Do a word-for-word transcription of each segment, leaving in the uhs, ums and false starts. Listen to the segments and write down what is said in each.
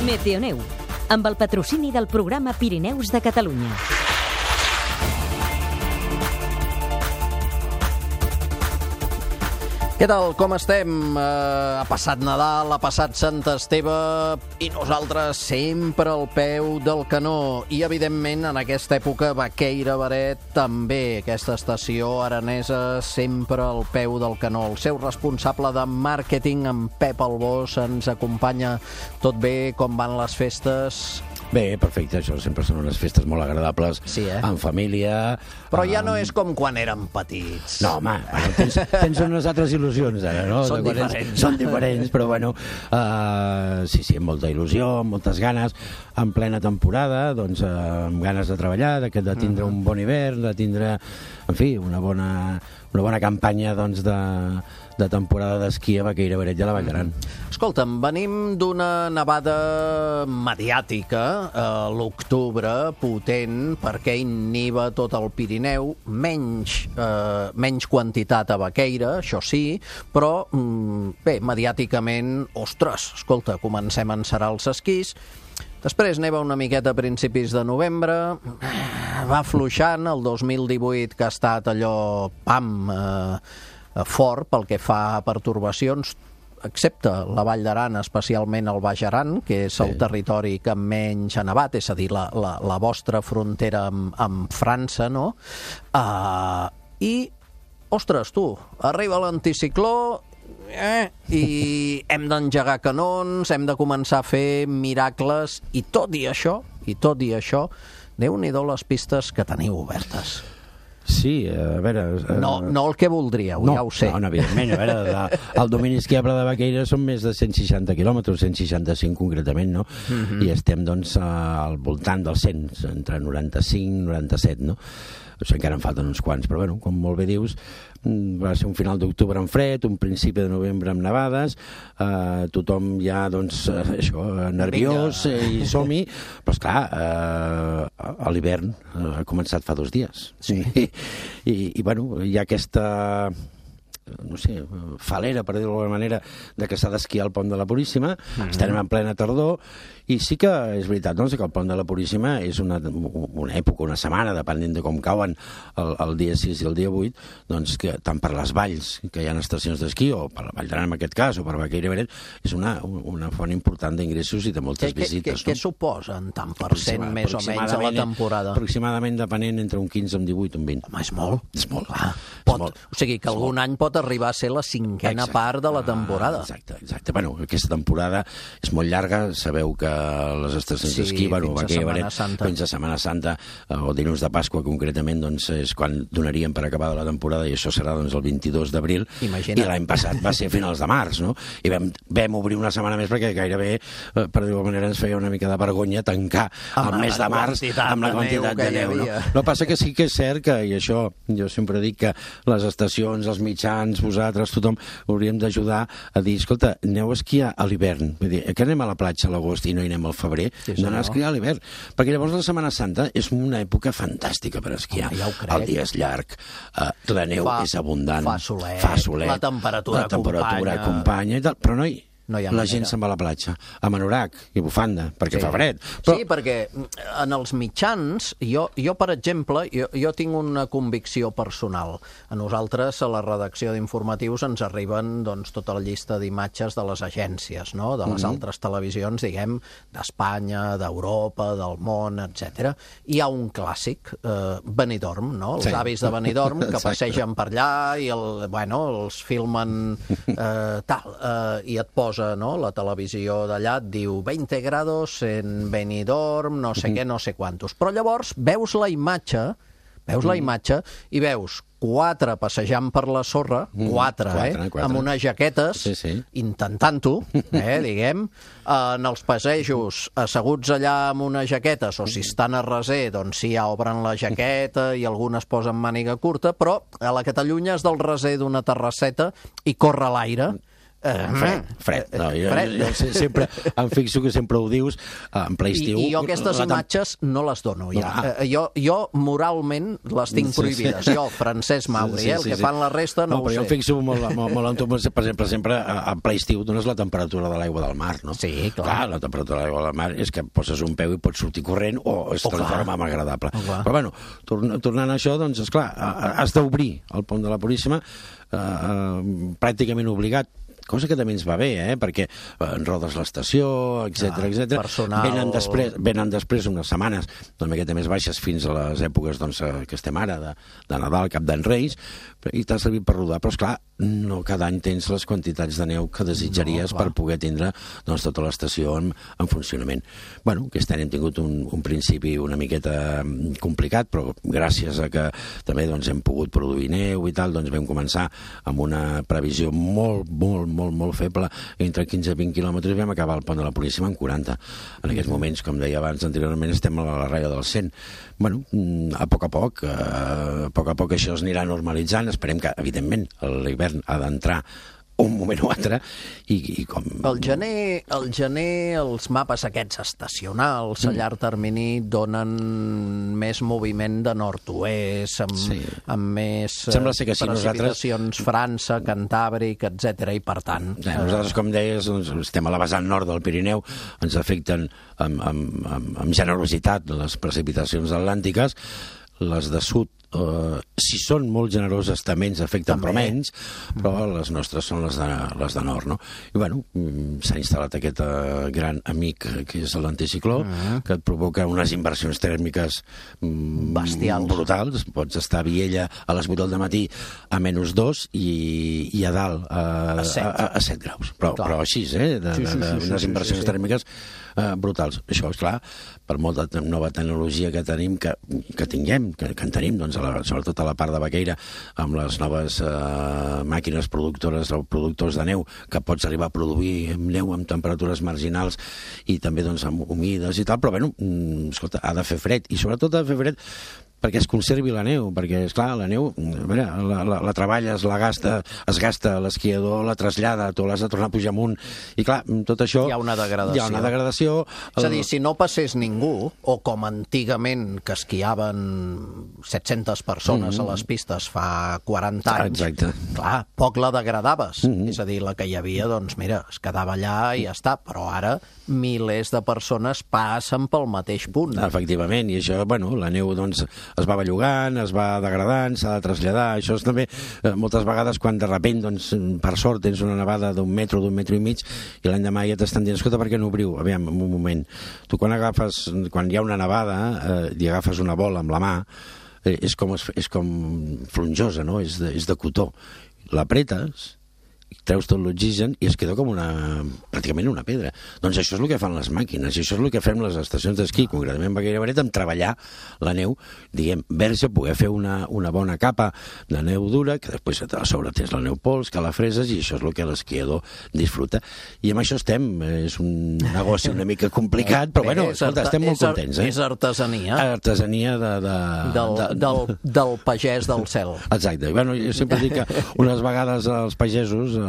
Meteoneu, amb el patrocini del programa Pirineus de Catalunya. Què tal, com estem? Uh, ha passat Nadal, ha passat Sant Esteve i nosaltres sempre al peu del canó. I, evidentment, en aquesta època, Vaqueira Beret també. Aquesta estació aranesa sempre al peu del canó. El seu responsable de màrqueting, en Pep Albós, ens acompanya. Tot bé? Com van les festes? Bé, perfecte, això sempre són unes festes molt agradables, sí, eh? En família... Però ja no és com quan érem petits. No, home, bueno, tens, tens unes altres il·lusions ara, no? Són diferents. Són diferents, però bueno, uh, sí, sí, amb molta il·lusió, amb moltes ganes, en plena temporada, doncs uh, amb ganes de treballar, de, de tindre un bon hivern, de tindre, en fi, una bona, una bona campanya, doncs, de... de temporada d'esquí a Vaqueira Beret i a la Vall d'Aran. Escolta'm, venim d'una nevada mediàtica a l'octubre, potent, perquè inhiba tot el Pirineu, menys, eh, menys quantitat a Vaqueira, això sí, però, mm, bé, mediàticament, ostres, escolta, comencem a encerar els esquís. Després neva una miqueta a principis de novembre, va afluixant, el dos mil divuit que ha estat allò, pam, eh, fort pel que fa a pertorbacions, excepte la Vall d'Aran, especialment el Baix Aran, que és el sí. territori que menys ha nevat, és a dir, la, la, la vostra frontera amb, amb França, no? Uh, I, ostres, tu, arriba l'anticicló eh, i hem d'engegar canons, hem de començar a fer miracles, i tot i això, i tot i això, Déu-n'hi-do les pistes que teniu obertes. Sí, a veure... Uh... No, no el que voldríeu, no, ja ho sé. No, no, evidentment, a veure, el domini esquiable de Vaqueira són més de cent seixanta quilòmetres, cent seixanta-cinc concretament, no? Uh-huh. I estem, doncs, al voltant dels cent, entre noranta-cinc i noranta-set, no? O sigui, encara en falten uns quants, però, bueno, com molt bé dius, va ser un final d'octubre amb fred, un principi de novembre amb nevades, eh, tothom ja, doncs, això, nerviós eh, i som-hi, però, esclar, eh, a l'hivern eh, ha començat fa dos dies. Sí. I, i, i bueno, hi ha aquesta... no sé, falera, per dir-ho d'alguna manera, de que s'ha d'esquiar al Pont de la Puríssima. Mm-hmm. Estem en plena tardor, i sí que és veritat, doncs, que el Pont de la Puríssima és una, una època, una setmana, depenent de com cauen el, el dia sis i el dia vuit, doncs, que tant per les valls, que hi ha estacions d'esquí, o per la Vall d'Aran en aquest cas, o per Vaqueira Beret, és una, una font important d'ingressos i de moltes que, visites. Què no? suposen, tant per cent, més o menys, a la temporada? Aproximadament, depenent, entre un quinze, un divuit, un vint. Home, és molt. És molt. Ah, pot, és molt. O sigui, que algun any pot arribar a ser la cinquena exacte. part de la temporada. Ah, exacte, exacte. Bueno, aquesta temporada és molt llarga, sabeu que les estacions sí, d'esquí, bueno, fins a Setmana Santa, fins a Setmana Santa o dilluns de Pasqua, concretament, doncs és quan donaríem per acabada la temporada, i això serà doncs el vint-i-dos d'abril. Imagina't. I l'any passat va ser a finals de març, no? I vam, vam obrir una setmana més perquè gairebé, per dir-ho manera, ens feia una mica de vergonya tancar amb el mes de març amb la quantitat de neu. No? No passa que sí que és cert que, i això jo sempre dic que les estacions, els mitjans, vosaltres, tothom, hauríem d'ajudar a dir, escolta, aneu a esquiar a l'hivern. Vull dir, que anem a la platja a l'agost i no hi anem al febrer, sí, no anem a esquiar a l'hivern. Perquè llavors la Setmana Santa és una època fantàstica per esquiar. Home, ja ho crec. El dia és llarg, eh, la neu fa, és abundant, fa solet, fa solet, la temperatura, la temperatura acompanya, acompanya i tal, però no hi No hi ha la manera. gent se'n va a la platja, amb anorac i bufanda, perquè sí. fa fred. Però... Sí, perquè en els mitjans, jo, jo per exemple, jo, jo tinc una convicció personal. A nosaltres, a la redacció d'informatius, ens arriben doncs, tota la llista d'imatges de les agències, no? De les mm-hmm. altres televisions, diguem, d'Espanya, d'Europa, del món, etcètera. Hi ha un clàssic, eh, Benidorm, no? Els sí. avis de Benidorm, que passegen per allà i el, bueno, els filmen eh, tal, eh, i et posa no? La televisió d'allà et diu veinte grados en Benidorm, no sé què, no sé quantos. Però llavors veus la imatge, veus la imatge i veus quatre passejant per la sorra, quatre, quatre, eh? quatre. amb unes jaquetes, sí, sí. intentant-ho, eh, diguem, en els passejos asseguts allà amb unes jaquetes, o si estan a reser, doncs sí, ja obren la jaqueta i algunes posen màniga curta, però a la que t'allunyes del reser d'una terrasseta i corre l'aire, Uh, fred, fred. No, jo, fred. jo, jo sempre em fixo que sempre ho dius en ple estiu. I, I jo aquestes la, imatges no les dono ja. Ah. Uh, jo, jo moralment les tinc prohibides. Sí, sí. Jo, Francesc Mauri, sí, sí, eh, el que sí, fan la resta no, no ho sé. Jo em fixo molt, molt, molt en tu, per exemple, sempre en ple estiu dones la temperatura de l'aigua del mar, no? Sí, clar. clar. La temperatura de l'aigua del mar és que poses un peu i pots sortir corrent o es oh, transforma en agradable. Oh, però bueno, torn, tornant a això, doncs, esclar, has d'obrir el pont de la Puríssima eh, eh, pràcticament obligat, cosa que també ens va bé, eh? perquè en rodes l'estació, etcètera, ah, etcètera. Personal... Venen després, venen després unes setmanes una miqueta més baixes fins a les èpoques doncs, que estem ara, de, de Nadal, Cap d'Any Reis, i t'ha servit per rodar, però esclar, no cada any tens les quantitats de neu que desitjaries no, per poder tindre doncs, tota l'estació en, en funcionament. Bueno, aquest any hem tingut un, un principi una miqueta complicat, però gràcies a que també doncs, hem pogut produir neu i tal, doncs vam començar amb una previsió molt, molt, molt, molt feble, entre quinze i vint quilòmetres, vam acabar el pont de la Puríssima en quaranta. En aquests moments, com deia abans anteriorment, estem a la ratlla del cent. Bueno, a poc a poc, a poc a poc això es anirà normalitzant, esperem que, evidentment, l'hivern ha d'entrar un moment o altre i, i com... El gener, el gener els mapes aquests estacionals a llarg termini donen més moviment de nord-oest, amb, sí. amb més Sembla ser que sí, precipitacions nosaltres... França, Cantàbric, etcètera i per tant... Ja, nosaltres, com deies, doncs, estem a la vessant nord del Pirineu, ens afecten amb, amb, amb, amb generositat les precipitacions atlàntiques, les de sud, Uh, si són molt generoses també ens afecten, també. Però menys, però les nostres són les de, les de nord, no? I bueno, s'ha instal·lat aquest uh, gran amic que és l'anticicló, uh-huh. que et provoca unes inversions tèrmiques um, bestials, brutals. Pots estar a Viella a les vuit del matí a menys dos i, i a dalt uh, a, set. A, a set graus, però, però així, eh? De, sí, sí, de, de, sí, unes sí, inversions sí, sí. tèrmiques uh, brutals. Això, és clar, per molta nova tecnologia que tenim, que, que tinguem, que, que en tenim, doncs, a la, sobretot a la part de Baqueira, amb les noves eh, màquines productores o productors de neu, que pots arribar a produir neu amb temperatures marginals i també doncs, amb humides i tal, però bueno, escolta, ha de fer fred, i sobretot ha de fer fred perquè es conservi la neu, perquè, esclar, la neu, veure, la, la, la treballes, la gasta, es gasta l'esquiador, la trasllada, tu l'has de tornar a pujar amunt, i clar, tot això... Hi ha una degradació. Hi ha una degradació. És a dir, si no passés ningú, o com antigament que esquiaven set-centes persones mm-hmm. a les pistes fa quaranta anys, exacte. Clar, poc la degradaves. Mm-hmm. És a dir, la que hi havia, doncs, mira, es quedava allà i ja està, però ara milers de persones passen pel mateix punt. Efectivament, i això, bueno, la neu, doncs, es va bellugant, es va degradant, s'ha de traslladar. Això és també, eh, moltes vegades, quan de repent, doncs, per sort, tens una nevada d'un metro, d'un metro i mig, i l'endemà ja t'estan dient, escolta, per què no obriu? Aviam, un moment. Tu quan agafes, quan hi ha una nevada, eh, i agafes una bola amb la mà, eh, és, com, és com flonjosa, no? És de, és de cotó. L'apretes, treus tot l'oxigen i es queda com una, pràcticament una pedra. Doncs això és el que fan les màquines, i això és el que fem les estacions d'esquí, concretament Baqueira Benet, amb treballar la neu, diguem, verge, poder fer una, una bona capa de neu dura, que després a sobre tens la neu pols, que la freses, i això és el que l'esquiador disfruta. I amb això estem, és un negoci una mica complicat, però bueno, escolta, estem molt contents. Eh? És artesania. Artesania de... de, del, de, del, del pagès del cel. Exacte. Bueno, jo sempre dic que unes vegades els pagesos eh,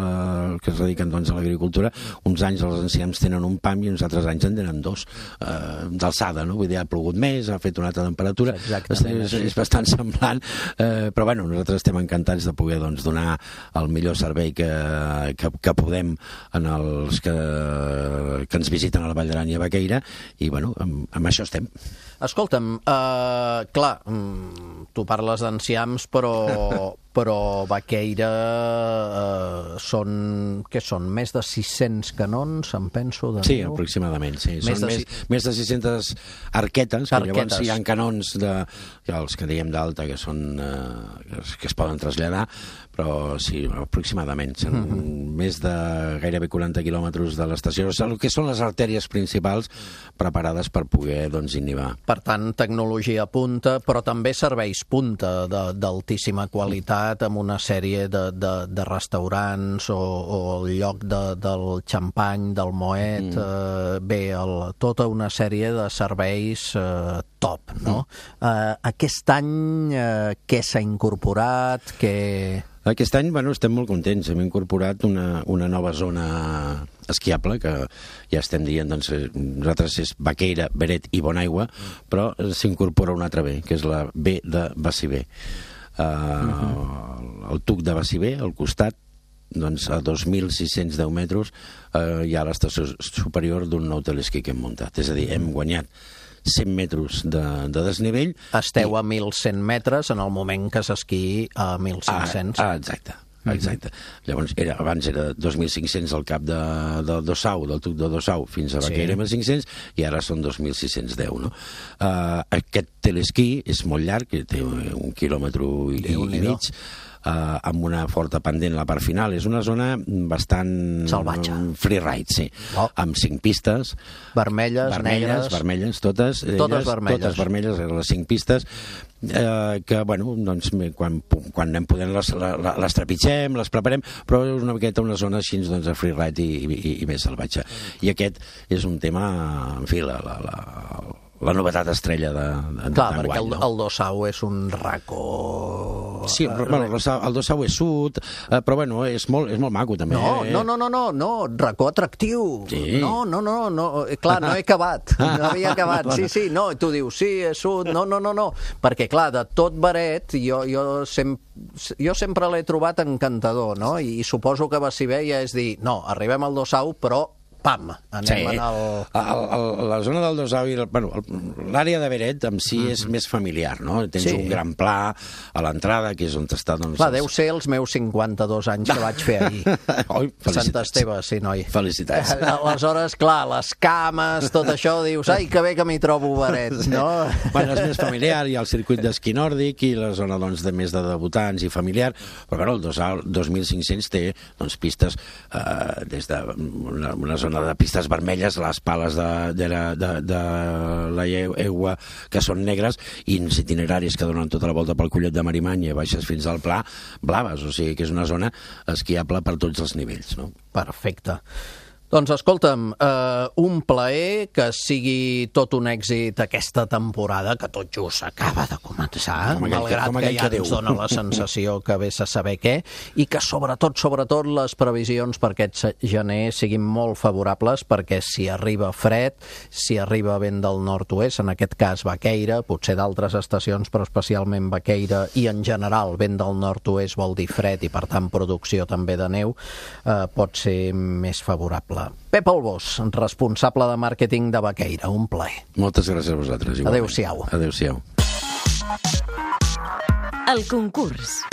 que es dediquen doncs, a l'agricultura, uns anys els enciams tenen un pam i uns altres anys en tenen dos, eh, d'alçada, no? Vull dir, ha plogut més, ha fet una altra temperatura, és, és, és bastant semblant, eh, però bueno, nosaltres estem encantats de poder doncs, donar el millor servei que, que, que podem en els que, que ens visiten a la Vall d'Aran i a Baqueira, i bueno, amb, amb això estem. Escolta'm, uh, clar, tu parles d'enciams, però, però Baqueira uh, són, què són, més de sis-cents canons, em penso, de Sí, neu? aproximadament, sí. Més Són de més, si- més de sis-centes arquetes, que Arquetes. llavors hi ha canons, de, els que diem d'alta, que són eh, que es- que es poden traslladar, però sí, aproximadament. Són mm-hmm. més de gairebé quaranta quilòmetres de l'estació, o sigui, el que són les artèries principals preparades per poder doncs, inhibar. Per tant, tecnologia punta, però també serveis punta de- d'altíssima qualitat, amb una sèrie de, de, de restaurants o, o el lloc de, del xampany, del Moet, mm. eh, bé, el, tota una sèrie de serveis eh, top, no? Mm. Eh, aquest any, eh, què s'ha incorporat? Què... Aquest any, bueno, estem molt contents. Hem incorporat una, una nova zona esquiable, que ja estem dient, doncs, nosaltres és Baqueira, Beret i Bonaigua, però s'incorpora una altra B, que és la B de Baciver. Uh, uh-huh. El tuc de Baciver, al costat, doncs a dos mil sis-cents deu metres, uh, hi ha l'estació superior d'un nou telesquí que hem muntat. És a dir, hem guanyat cent metres de, de desnivell. Esteu i... a mil cent metres en el moment que s'esquiï a mil cinc-cents. Ah, ah, exacte. Exacte. Mm-hmm. Llavors, era, abans era dos mil cinc-cents al cap de, de Dossau, del tuc de Dossau, fins a Baqueira, sí. mil cinc-cents, i ara són dos mil sis-cents deu, no? Uh, aquest telesquí és molt llarg, té un quilòmetre i, i mig, Uh, amb una forta pendent a la part final. És una zona bastant... salvatge. Freeride, sí. Oh. Amb cinc pistes. Vermelles, vermelles negres... Vermelles, totes. Totes elles, vermelles. Totes vermelles, les cinc pistes. Eh, que, bueno, doncs, quan, quan anem podent les, les trepitgem, les preparem, però és una miqueta una zona així, doncs, de freeride i, i, i més salvatge. I aquest és un tema, en fi, la... la, la la novetat estrella de, de Clar, perquè el, no? el Dossau és un racó... Sí, però, bueno, el Dossau és sud, eh, però bueno, és molt, és molt maco també. No, eh? no, no, no, no, no, racó atractiu. Sí. No, no, no, no, clar, no he acabat, no havia acabat. Sí, sí, no, tu dius, sí, és sud, no, no, no, no, perquè clar, de tot Beret, jo, jo, sem jo sempre l'he trobat encantador, no? I, i suposo que Baciver ja és dir, no, arribem al Dossau, però pam, anem sí. en el... el, el... La zona del Dossau i bueno, l'àrea de Beret en si mm-hmm. és més familiar, no? Tens sí. un gran pla a l'entrada, que és on està... Doncs, clar, deu ser els meus cinquanta-dos anys que vaig fer ahir. Oi, Sant Esteve, sí, noi. Felicitats. Aleshores, clar, les cames, tot això, dius, ai, que bé que m'hi trobo Beret, no? Bueno, és més familiar, hi ha el circuit d'esquí nòrdic i la zona, doncs, de més de debutants i familiar, però, bueno, el Dossau, dos mil cinc-cents té, doncs, pistes eh, des de una, una zona de pistes vermelles, les pales de, de, la, de, de la aigua que són negres i uns itineraris que donen tota la volta pel Collet de Marimanya i baixes fins al Pla, blaves, o sigui que és una zona esquiable per tots els nivells, no? Perfecte. Doncs escolta'm, eh, un plaer que sigui tot un èxit aquesta temporada, que tot just acaba de començar, com malgrat com que ja que ens dona la sensació que vés a saber què, i que sobretot, sobretot, les previsions per aquest gener siguin molt favorables, perquè si arriba fred, si arriba vent del nord-oest, en aquest cas Baqueira, potser d'altres estacions, però especialment Baqueira, i en general vent del nord-oest vol dir fred i per tant producció també de neu, eh, pot ser més favorable. Pep Albós, responsable de màrqueting de Baqueira, un plaer. Moltes gràcies a vosaltres. Adéu-siau. Adéu-siau. El concurs.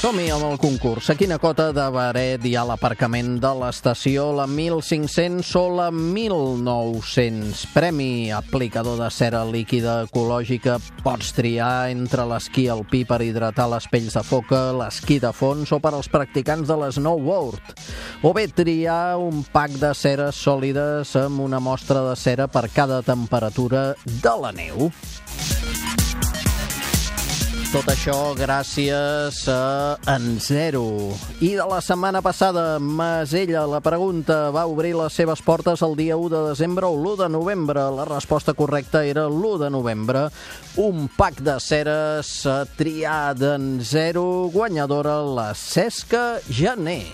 Som-hi amb el concurs. A quina cota de Beret hi ha l'aparcament de l'estació? La mil cinc-cents o la mil nou-cents? Premi aplicador de cera líquida ecològica. Pots triar entre l'esquí alpí per hidratar les pells de foca, l'esquí de fons o per als practicants de l'snowboard. O bé triar un pack de ceres sòlides amb una mostra de cera per cada temperatura de la neu. Tot això gràcies a En Zero. I de la setmana passada, Masella, la pregunta, va obrir les seves portes el dia u de desembre o l'u de novembre. La resposta correcta era l'u de novembre. Un pack de ceres a triar d'En Zero, guanyadora la Cesca Janer.